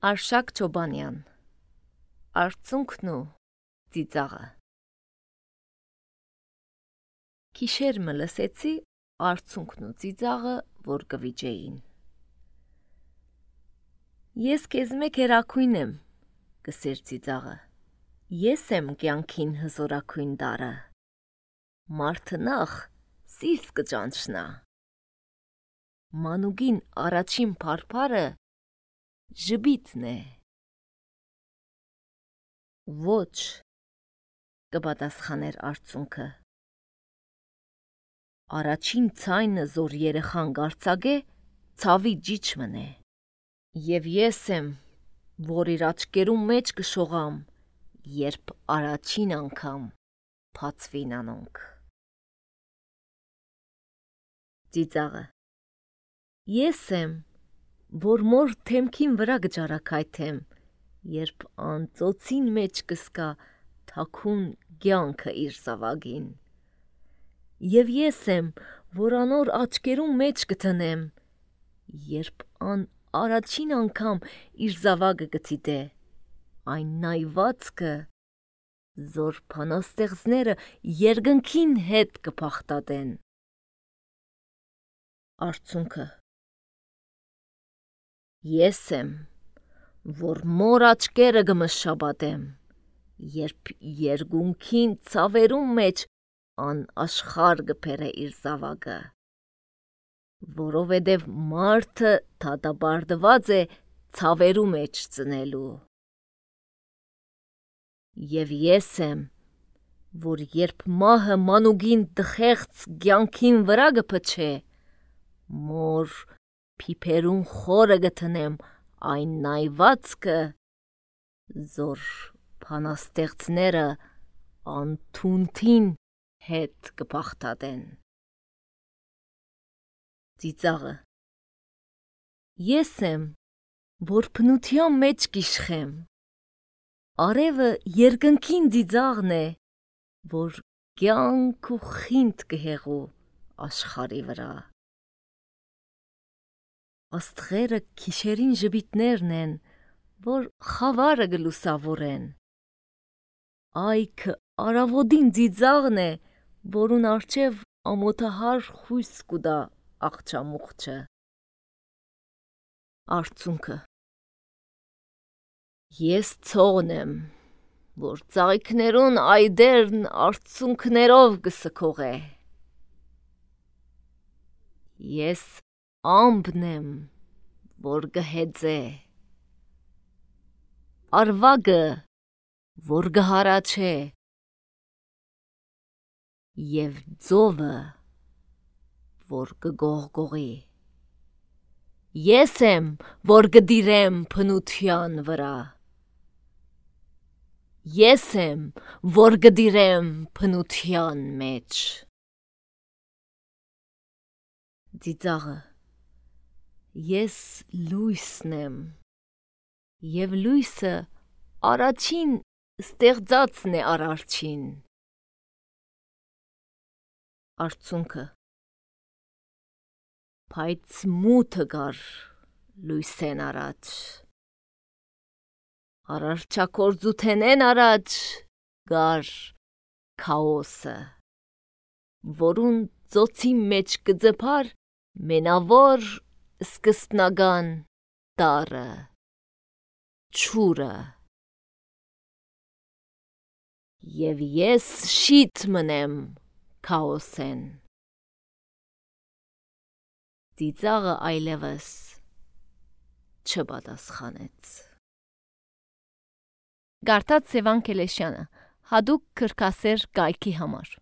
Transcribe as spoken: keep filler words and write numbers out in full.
Արշակ Չոբանյան Արցունքն ու ծիծաղը Քիշեր մը լսեցի արցունքն ու ծիծաղը, որ կվիճեին։ Ես քեզ մեկ հերակույն եմ, կսեր ծիծաղը, ես եմ կյանքին հզորակույն դարը, մարդը նախ սիրտ կճանչնա, մանուկին առաջին փարփարը ժբիտն է։ Ոչ, կպատասխաներ արցունքը, առաջին ցայնը զոր երեխան գարցագե, ցավի ջիջ մնե, և ես եմ, որ իր աչկերում մեջ կշողամ, երբ առաջին անգամ փացվին անոնք։ Ծիծաղը Ես եմ, որ մոր թեմքին վրա գճարակայթեմ, երբ անծոցին մեջ կսկա թաքուն կյանքը իր զավագին, և ես եմ, որ անոր աչկերում մեջ կտնեմ, երբ ան առաջին անգամ իր զավագը կդիտե, այն նայվածքը, զոր բանաստեղծները երկնքին հետ կփախտատեն։ Արցունքը Ես եմ, որ մոր աչկերը կմշաբատեմ, երբ երկունքին ցավերում մեջ ան աշխարհ կբերե իր զավագը, որովհետև մարդը դատապարտված է ցավերու մեջ ծնելու։ Եվ ես եմ, որ երբ մահը մանուկին տխեղծ կյանքին վրա կփչե, մոր փիփերուն խորը կտնեմ այն նայվածքը, զոր բանաստեղծները անթունթին հետ կփախտատեն։ Ծիծաղը Ես եմ, որ բնության մեջ կիշխեմ, արևը երկնքին ծիծաղն է, որ կյանք ու խինդ կհեղու աշխարհի վրա։ Աստղերը քիշերին ժպիտներն են, որ խավարը կլուսավորեն, այգը առավոտին ծիծաղն է, որուն առջև ամոթահար խույս կուտա աղջամուղջը։ Արցունքը Ես ցողն եմ, որ ծաղիկներուն այդերն արցունքներով կսքողե։ Ես ամպն եմ, որ կհեծե, արվագը, որ կհարաչե, և ձովը, որ կգողգողի։ Ես եմ, որ կդիրեմ բնության վրա, ես եմ, որ կդիրեմ բնության մեջ։ Ծիծաղը Ես լույսն եմ, և լույսը առաջին ստեղծածն է արարչին։ Արցունքը Բայց մութը գար լույսեն առաջ, արարչագործութենեն առաջ գար քաոսը, որուն ծոցի մեջ կձգար մենավոր սկզբնական տառը, ջուրը, և ես շիտ մնեմ քաոսեն։ Ծիծաղը այլևս չպատասխանեց։ Գարթած Սևան Քելեշյանը, հատուկ քրքասեր կայքի համար։